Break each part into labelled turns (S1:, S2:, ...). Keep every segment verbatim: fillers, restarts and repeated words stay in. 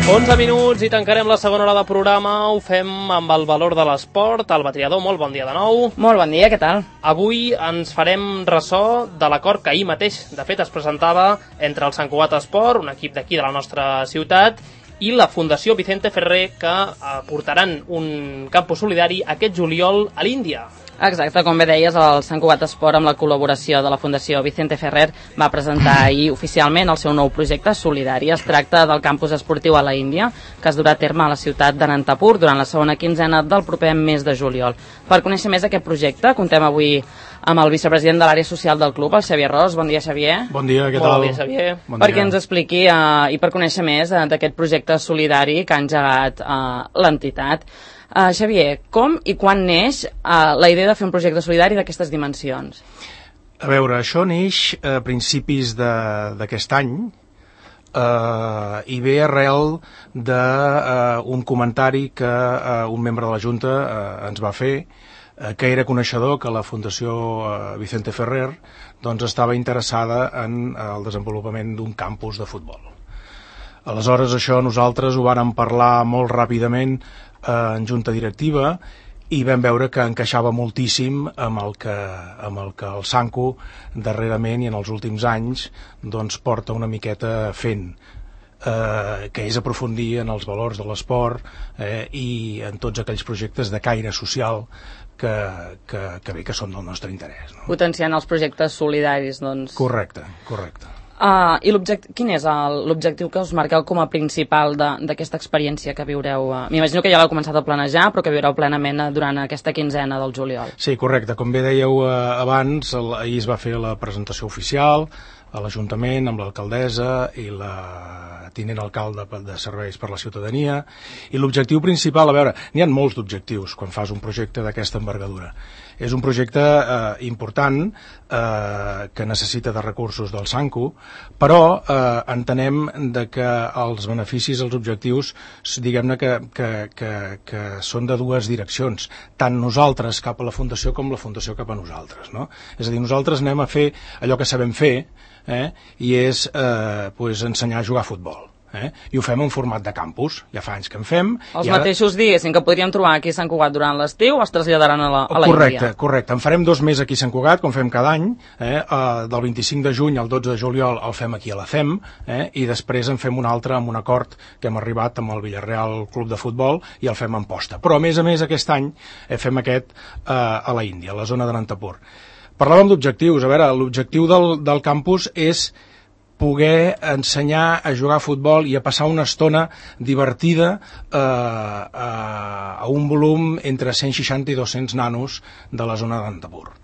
S1: onze minuts i tancarem la segona hora de programa. Ho fem amb el valor de l'esport. El Batriador, molt bon dia de nou.
S2: Molt bon dia, què tal?
S1: Avui ens farem ressò de l'acord que ahir mateix, de fet, es presentava entre el Sant Cugat Esport, un equip d'aquí de la nostra ciutat, i la Fundació Vicente Ferrer, que portaran un campus solidari aquest juliol a l'Índia.
S2: Exacte, com bé deies, el Sant Cugat Esport, amb la col·laboració de la Fundació Vicente Ferrer, va presentar ahir oficialment el seu nou projecte solidari. Es tracta del campus esportiu a la Índia, que es durà a terme a la ciutat d'Anantapur durant la segona quinzena del proper mes de juliol. Per conèixer més aquest projecte, contem avui amb el vicepresident de l'àrea social del club, el Xavier Ros. Bon dia, Xavier.
S3: Bon dia, què
S1: tal?
S3: tal?
S1: Bon dia, Xavier.
S3: Bon
S2: Perquè ens expliqui uh, i per conèixer més uh, d'aquest projecte solidari que ha engegat uh, l'entitat. Uh, Xavier, com i quan neix uh, la idea de fer un projecte solidari d'aquestes dimensions?
S3: A veure, això neix a principis d'aquest any uh, i ve arrel d'un uh, comentari que uh, un membre de la Junta uh, ens va fer, uh, que era coneixedor que la Fundació uh, Vicente Ferrer doncs, estava interessada en uh, el desenvolupament d'un campus de futbol. Aleshores, això nosaltres ho vàrem parlar molt ràpidament en junta directiva i vam veure que encaixava moltíssim amb el que, amb el, que el Sanco darrerament i en els últims anys doncs, porta una miqueta fent, eh, que és aprofundir en els valors de l'esport eh, i en tots aquells projectes de caire social que, que, que bé que són del nostre interès. No?
S2: Potenciant els projectes solidaris, doncs...
S3: Correcte, correcte.
S2: Uh, I quin és l'objectiu que us marqueu com a principal d'aquesta experiència que viureu? Uh, M'imagino que ja l'heu començat a planejar, però que viureu plenament uh, durant aquesta quinzena del juliol.
S3: Sí, correcte. Com bé dèieu uh, abans, el, ahir es va fer la presentació oficial a l'Ajuntament amb l'alcaldessa i la tinent alcalde de serveis per la ciutadania, i l'objectiu principal, a veure, n'hi ha molts d'objectius quan fas un projecte d'aquesta envergadura. És un projecte eh, important eh, que necessita de recursos del Sanco, però eh, entenem de que els beneficis, els objectius, diguem-ne que, que, que, que són de dues direccions, tant nosaltres cap a la Fundació com la Fundació cap a nosaltres. No? És a dir, nosaltres anem a fer allò que sabem fer, eh, i és eh, pues, ensenyar a jugar a futbol. Eh? I ho fem en format de campus, ja fa anys que en fem.
S2: Els
S3: ara...
S2: mateixos diguéssim que podríem trobar aquí a Sant Cugat durant l'estiu es traslladaran a la, a la
S3: correcte,
S2: Índia.
S3: Correcte, en farem dos més aquí a Sant Cugat, com fem cada any, eh? uh, del vint-i-cinc de juny al dotze de juliol el fem aquí a la C E M, eh? i després en fem un altre amb un acord que hem arribat amb el Villarreal Club de Futbol i el fem en posta. Però a més a més aquest any eh, fem aquest uh, a la Índia, a la zona d'Anantapur. Parlàvem d'objectius, a veure, l'objectiu del, del campus és poder ensenyar a jugar a futbol i a passar una estona divertida eh, a, a un volum entre cent seixanta i dos-cents nanos de la zona d'Anantapur.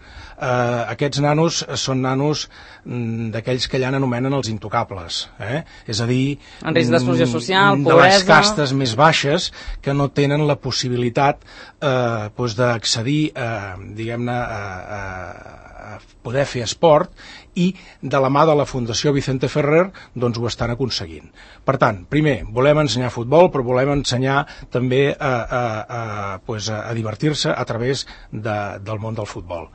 S3: Eh, aquests nanos són nanos mm, d'aquells que allà anomenen els intocables, eh? És a dir,
S2: en risc d'exclusió social,
S3: de
S2: pobresa...
S3: les castes més baixes que no tenen la possibilitat eh, doncs d'accedir a, diguem-ne, a, a, a poder fer esport, i de la mà de la Fundació Vicente Ferrer doncs ho estan aconseguint. Per tant, primer, volem ensenyar futbol, però volem ensenyar també a, a, a, pues a, a divertir-se a través de, del món del futbol.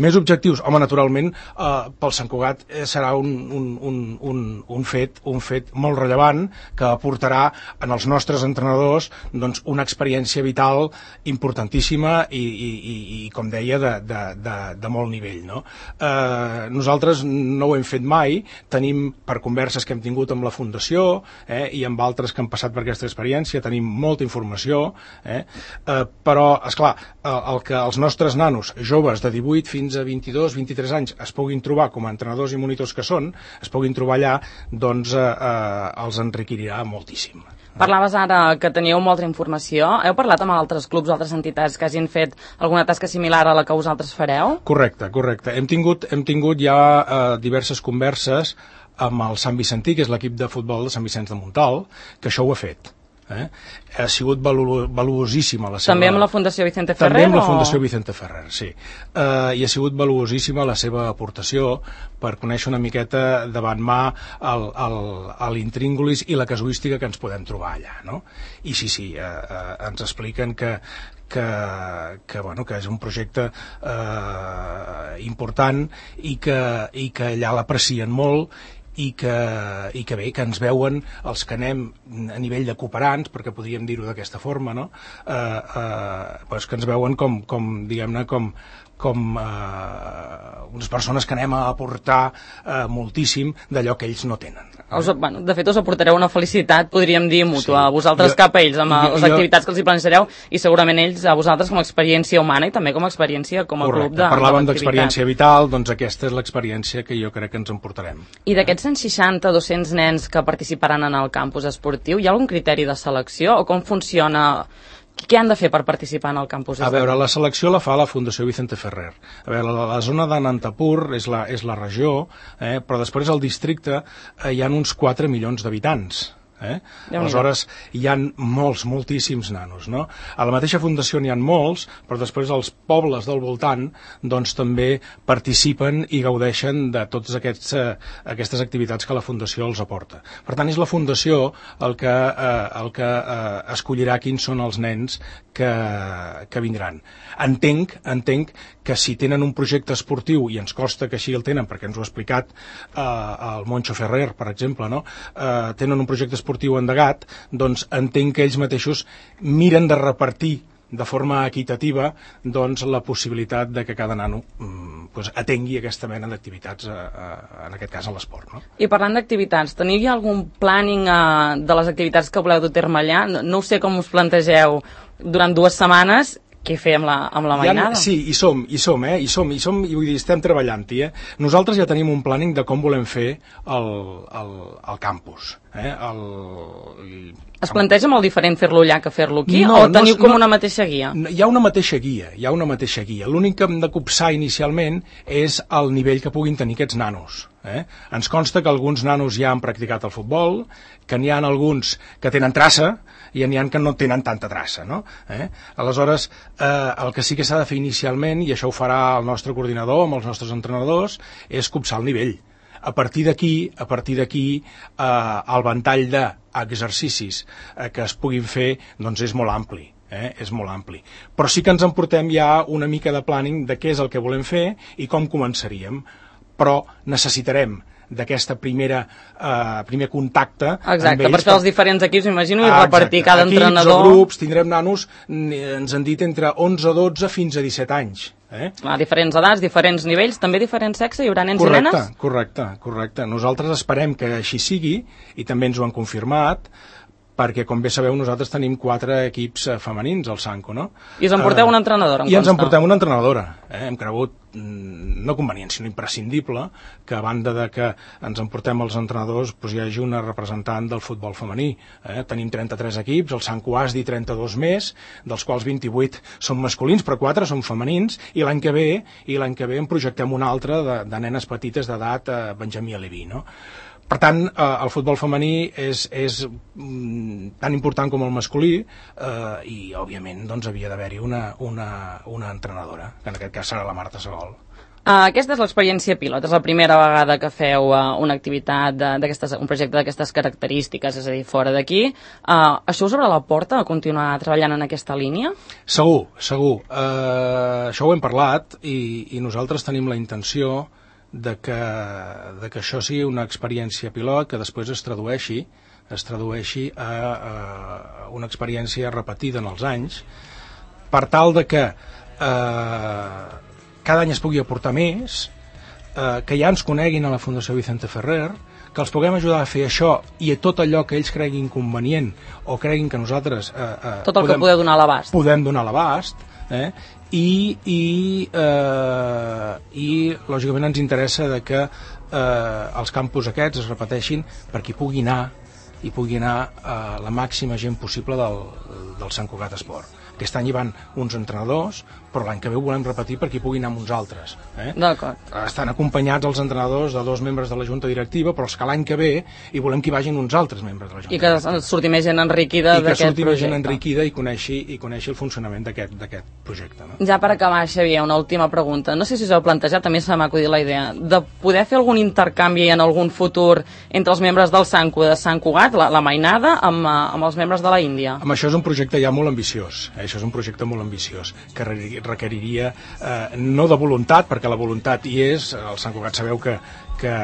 S3: Més objectius? Home, naturalment, eh, pel Sant Cugat eh, serà un, un, un, un, un, fet, un fet molt rellevant que aportarà en els nostres entrenadors doncs, una experiència vital importantíssima i, i, i, i com deia, de, de, de, de molt nivell. No? Eh, nosaltres no ho hem fet mai, tenim per converses que hem tingut amb la Fundació eh, i amb altres que han passat per aquesta experiència, tenim molta informació, eh, eh, però, esclar, el, el que els nostres nanos joves de divuit fins a vint-i-dos vint-i-tres anys es puguin trobar com a entrenadors i monitors que són, es puguin trobar allà, doncs eh, eh, els enriquirà moltíssim.
S2: Parlaves ara que teníeu molta informació. Heu parlat amb altres clubs, altres entitats que hagin fet alguna tasca similar a la que vosaltres fareu? Correcte,
S3: correcte. Hem tingut, hem tingut ja eh, diverses converses amb el Sant Vicentí, que és l'equip de futbol de Sant Vicenç de Montalt, que això ho ha fet. Eh? Ha sigut valu valuosíssima la seva...
S2: També amb la Fundació Vicente Ferrer?
S3: També amb la
S2: o...
S3: Fundació Vicente Ferrer, sí. Uh, I ha sigut valuosíssima la seva aportació per conèixer una miqueta davant mà l'intríngulis i la casuística que ens podem trobar allà, no? I sí, sí, uh, uh, ens expliquen que Que, que, bueno, que és un projecte eh, important i que, i que allà l'aprecien molt i que, i que bé, que ens veuen els que anem a nivell de cooperants, perquè podríem dir-ho d'aquesta forma, no? Eh, eh, pues que ens veuen com, com diguem-ne, com com eh, unes persones que anem a aportar eh, moltíssim d'allò que ells no tenen.
S2: Us, bueno, de fet, us aportareu una felicitat, podríem dir, mútua, sí. a vosaltres
S3: jo,
S2: cap a ells, amb
S3: jo,
S2: les activitats que els hi plantejareu, i segurament ells a vosaltres com a experiència humana i també com a experiència com a
S3: correcte.
S2: club de,
S3: Parlàvem
S2: de
S3: d'experiència vital, doncs aquesta és l'experiència que jo crec que ens emportarem.
S2: I d'aquests cent seixanta a dos-cents nens que participaran en el campus esportiu, hi ha algun criteri de selecció o com funciona? Què han de fer per participar en el campus?
S3: A veure, la selecció la fa la Fundació Vicente Ferrer. A veure, la, la zona d'Anantapur és la, és la regió, eh, però després al districte eh, hi ha uns quatre milions d'habitants. Eh? Aleshores, hi ha molts, moltíssims nanos, no? A la mateixa fundació n'hi ha molts, però després els pobles del voltant doncs també participen i gaudeixen de totes aquests, eh, aquestes activitats que la fundació els aporta. Per tant, és la fundació el que, eh, el que eh, escollirà quins són els nens que, que vindran. Entenc, entenc que si tenen un projecte esportiu, i ens costa que així el tenen, perquè ens ho ha explicat eh, el Moncho Ferrer, per exemple, no? eh, tenen un projecte esportiu endegat, doncs entenc que ells mateixos miren de repartir de forma equitativa doncs, la possibilitat de que cada nano mm, pues, atengui aquesta mena d'activitats, eh, eh, en aquest cas a l'esport. No?
S2: I parlant d'activitats, teniu ja algun planning eh, de les activitats que voleu dur a terme allà? No, no ho sé com us plantegeu durant dues setmanes. Què fer amb la, amb la mainada?
S3: Ja, sí, hi som, hi som, eh? Hi som, hi som, i vull dir, estem treballant-hi, eh? Nosaltres ja tenim un planning de com volem fer el, el, el campus, eh? El, el...
S2: Es planteja molt diferent fer-lo allà que fer-lo aquí?
S3: No,
S2: o teniu
S3: no,
S2: com
S3: no,
S2: una mateixa guia?
S3: Hi ha una mateixa guia, hi ha una mateixa guia. L'únic que hem de copsar inicialment és el nivell que puguin tenir aquests nanos. Eh? Ens consta que alguns nanos ja han practicat el futbol, que n'hi ha alguns que tenen traça i n'hi ha que no tenen tanta traça, no? Eh? Aleshores, eh, el que sí que s'ha de fer inicialment, i això ho farà el nostre coordinador amb els nostres entrenadors, és copsar el nivell. A partir d'aquí, a partir d'aquí, eh, el ventall d'exercicis eh, que es puguin fer doncs és molt ampli. Eh, és molt ampli. Però sí que ens emportem ja una mica de planning de què és el que volem fer i com començaríem. Però necessitarem d'aquesta primera eh, primer contacte.
S2: Exacte, per fer els diferents equips, m'imagino, i ah, repartir cada
S3: equips
S2: entrenador.
S3: O grups, tindrem nanos, ens han dit entre onze, dotze fins a disset anys. Eh?
S2: A diferents edats, diferents nivells, també diferent sexe, hi haurà nens
S3: correcte,
S2: i nenes?
S3: Correcte, correcte. Nosaltres esperem que així sigui, i també ens ho han confirmat, perquè, com bé sabeu, nosaltres tenim quatre equips femenins al Sanco, no?
S2: I us emporteu una entrenadora, em
S3: I
S2: consta.
S3: ens emportem una entrenadora. Eh? Hem cregut, no convenient, sinó imprescindible, que a banda de que ens emportem els entrenadors, doncs hi hagi una representant del futbol femení. Eh? Tenim trenta-tres equips, el Sanco has dit trenta-dos més, dels quals vint-i-vuit són masculins, però quatre són femenins, i l'any que ve i l'any que ve en projectem un altre de, de nenes petites d'edat eh, Benjamí Aleví, no? Per tant, eh, el futbol femení és, és mm, tan important com el masculí eh, i, òbviament, doncs, havia d'haver-hi una, una, una entrenadora, que en aquest cas serà la Marta Segol.
S2: Uh, aquesta és l'experiència pilot, és la primera vegada que feu uh, una activitat, un projecte d'aquestes característiques, és a dir, fora d'aquí. Uh, això us obre la porta a continuar treballant en aquesta línia?
S3: Segur, segur. Uh, això ho hem parlat i, i nosaltres tenim la intenció de que, de que això sigui una experiència pilot que després es tradueixi es tradueixi a, a una experiència repetida en els anys, per tal de que eh, cada any es pugui aportar més, eh, que ja ens coneguin a la Fundació Vicente Ferrer, que els puguem ajudar a fer això i a tot allò que ells creguin convenient o creguin que nosaltres eh, eh,
S2: tot el podem, que podeu donar a l'abast
S3: podem donar a l'abast, eh? I, i, eh, i lògicament ens interessa de que eh, els campus aquests es repeteixin per qui pugui anar i pugui anar eh, la màxima gent possible del, del Sant Cugat Esport. Aquest any hi van uns entrenadors, però l'any que ve ho volem repetir per qui pugui anar amb uns altres. Eh?
S2: D'acord.
S3: Estan acompanyats els entrenadors de dos membres de la Junta Directiva, però els que l'any que ve hi volem que hi vagin uns altres membres de la Junta
S2: I que
S3: Directiva.
S2: surti més gent enriquida d'aquest projecte. I que surti més gent
S3: enriquida i coneixi, i coneixi el funcionament d'aquest projecte. No?
S2: Ja per acabar, Xavier, una última pregunta. No sé si us heu plantejat, també se m'ha acudit la idea, de poder fer algun intercanvi en algun futur entre els membres del Sanco de Sant Cugat, la, la mainada, amb, amb els membres de la Índia.
S3: Amb això és un projecte ja molt ambiciós. Eh? Això és un projecte molt ambiciós, que requeriria eh, no de voluntat, perquè la voluntat hi és, el Sant Cugat sabeu que, que,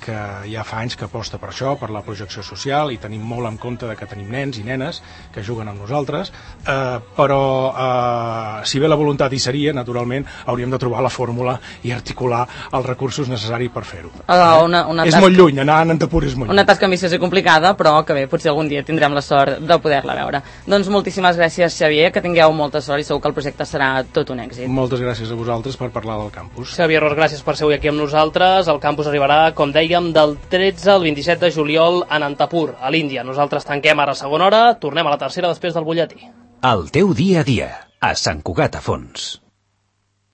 S3: que ja fa anys que aposta per això, per la projecció social, i tenim molt en compte de que tenim nens i nenes que juguen amb nosaltres, eh, però eh, si bé la voluntat hi seria, naturalment hauríem de trobar la fórmula i articular els recursos necessaris per fer-ho.
S2: Uh, una, una
S3: és
S2: tasca...
S3: molt lluny, anar a Antapur és molt lluny.
S2: Una tasca ambiciosa i complicada, però que bé, potser algun dia tindrem la sort de poder-la veure. Doncs moltíssimes gràcies, Xavier, que tingueu molta sort i segur que el projecte serà tot un èxit.
S3: Moltes gràcies a vosaltres per parlar del campus.
S1: Xavier Ros, gràcies per ser avui aquí amb nosaltres. El campus arribarà, com dèiem, del tretze al vint-i-set de juliol en Antapur, a l'Índia. Nosaltres tanquem ara segona hora, tornem a la tercera després del butlletí.
S4: El teu dia a dia, a Sant Cugat a Fons.